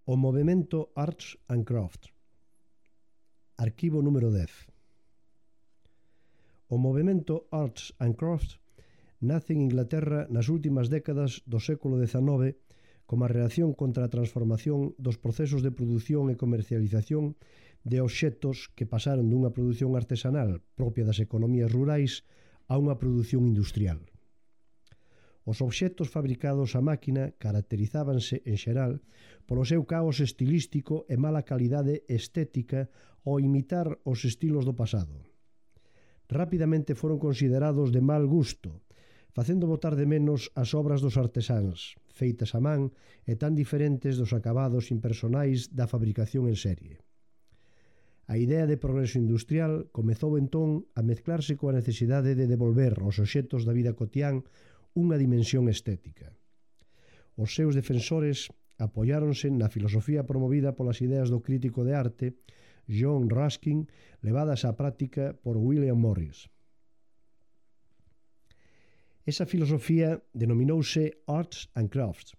O movemento Arts and Crafts. Arquivo número 10. O movemento Arts and Crafts nace en Inglaterra nas últimas décadas do século XIX como a reacción contra a transformación dos procesos de produción e comercialización de obxectos que pasaron dunha produción artesanal propia das economías rurais a unha produción industrial. Os obxectos fabricados a máquina caracterizábanse, en xeral, polo seu caos estilístico e mala calidade estética ao imitar os estilos do pasado. Rapidamente foron considerados de mal gusto, facendo botar de menos as obras dos artesáns, feitas a man e tan diferentes dos acabados impersonais da fabricación en serie. A idea de progreso industrial comezou entón a mezclarse coa necesidade de devolver aos obxectos da vida cotián unha dimensión estética. Os seus defensores apoiáronse na filosofía promovida polas ideas do crítico de arte John Ruskin, levadas á práctica por William Morris. Esa filosofía denominouse Arts and Crafts,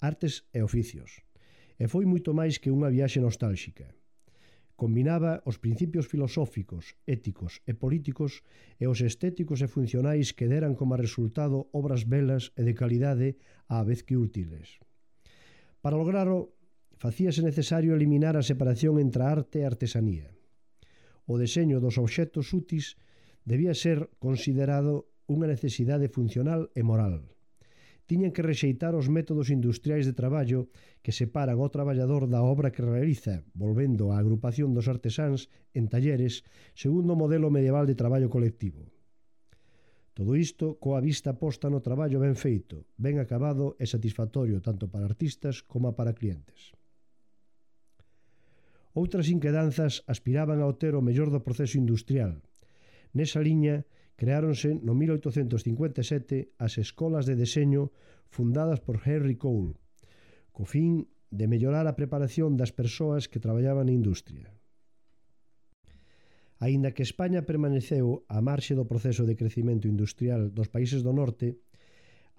artes e oficios, e foi moito máis que unha viaxe nostálxica. Combinaba os principios filosóficos, éticos e políticos e os estéticos e funcionais que deran como resultado obras belas e de calidade á vez que útiles. Para lograrlo, facíase necesario eliminar a separación entre a arte e a artesanía. O deseño dos obxectos úteis debía ser considerado unha necesidade funcional e moral. Tiñan que rexeitar os métodos industriais de traballo que separan ao traballador da obra que realiza, volvendo á agrupación dos artesáns en talleres segundo o modelo medieval de traballo colectivo. Todo isto coa vista posta no traballo ben feito, ben acabado e satisfactorio tanto para artistas como para clientes. Outras inquedanzas aspiraban a obter o mellor do proceso industrial. Nesa liña, creáronse no 1857 as escolas de deseño fundadas por Henry Cole, co fin de mellorar a preparación das persoas que traballaban na industria. Aínda que España permaneceu á marxe do proceso de crecimento industrial dos países do norte,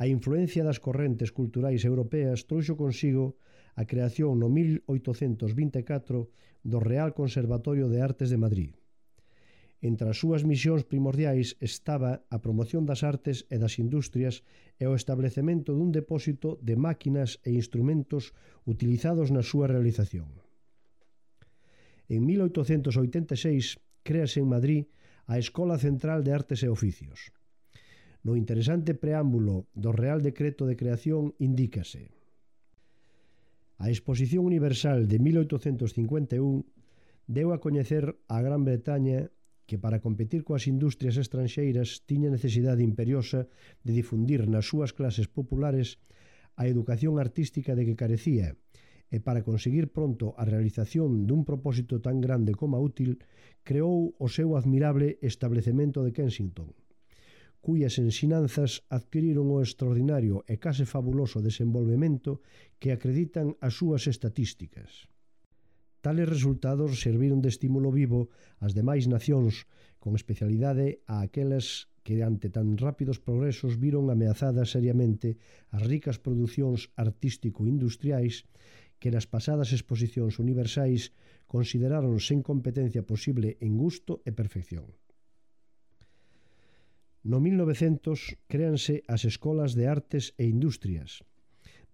a influencia das correntes culturais europeas trouxo consigo a creación no 1824 do Real Conservatorio de Artes de Madrid. Entre as súas misións primordiais estaba a promoción das artes e das industrias e o establecemento dun depósito de máquinas e instrumentos utilizados na súa realización. En 1886 créase en Madrid a Escola Central de Artes e Oficios. No interesante preámbulo do Real Decreto de Creación indícase: a Exposición Universal de 1851 deu a coñecer a Gran Bretaña que para competir coas industrias estranxeiras tiña necesidade imperiosa de difundir nas súas clases populares a educación artística de que carecía e para conseguir pronto a realización dun propósito tan grande como útil, creou o seu admirable establecemento de Kensington, cuyas ensinanzas adquiriron o extraordinario e case fabuloso desenvolvemento que acreditan as súas estatísticas. Tales resultados serviron de estímulo vivo ás demais nacións, con especialidade a aquelas que ante tan rápidos progresos viron ameazadas seriamente as ricas producións artístico-industriais que nas pasadas exposicións universais consideraron sen competencia posible en gusto e perfección. No 1900 créanse as Escolas de Artes e Industrias,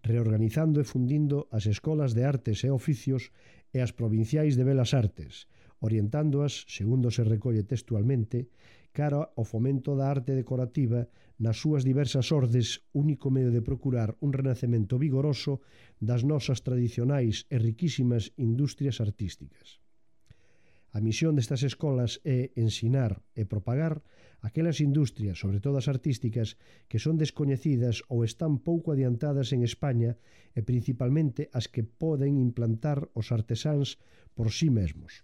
reorganizando e fundindo as Escolas de Artes e Oficios e as Provinciais de Belas Artes, orientándoas, segundo se recolle textualmente, cara ao fomento da arte decorativa nas súas diversas ordes, único medio de procurar un renacemento vigoroso das nosas tradicionais e riquísimas industrias artísticas. A misión destas escolas é ensinar e propagar aquelas industrias, sobre todo as artísticas, que son descoñecidas ou están pouco adiantadas en España e principalmente as que poden implantar os artesáns por sí mesmos.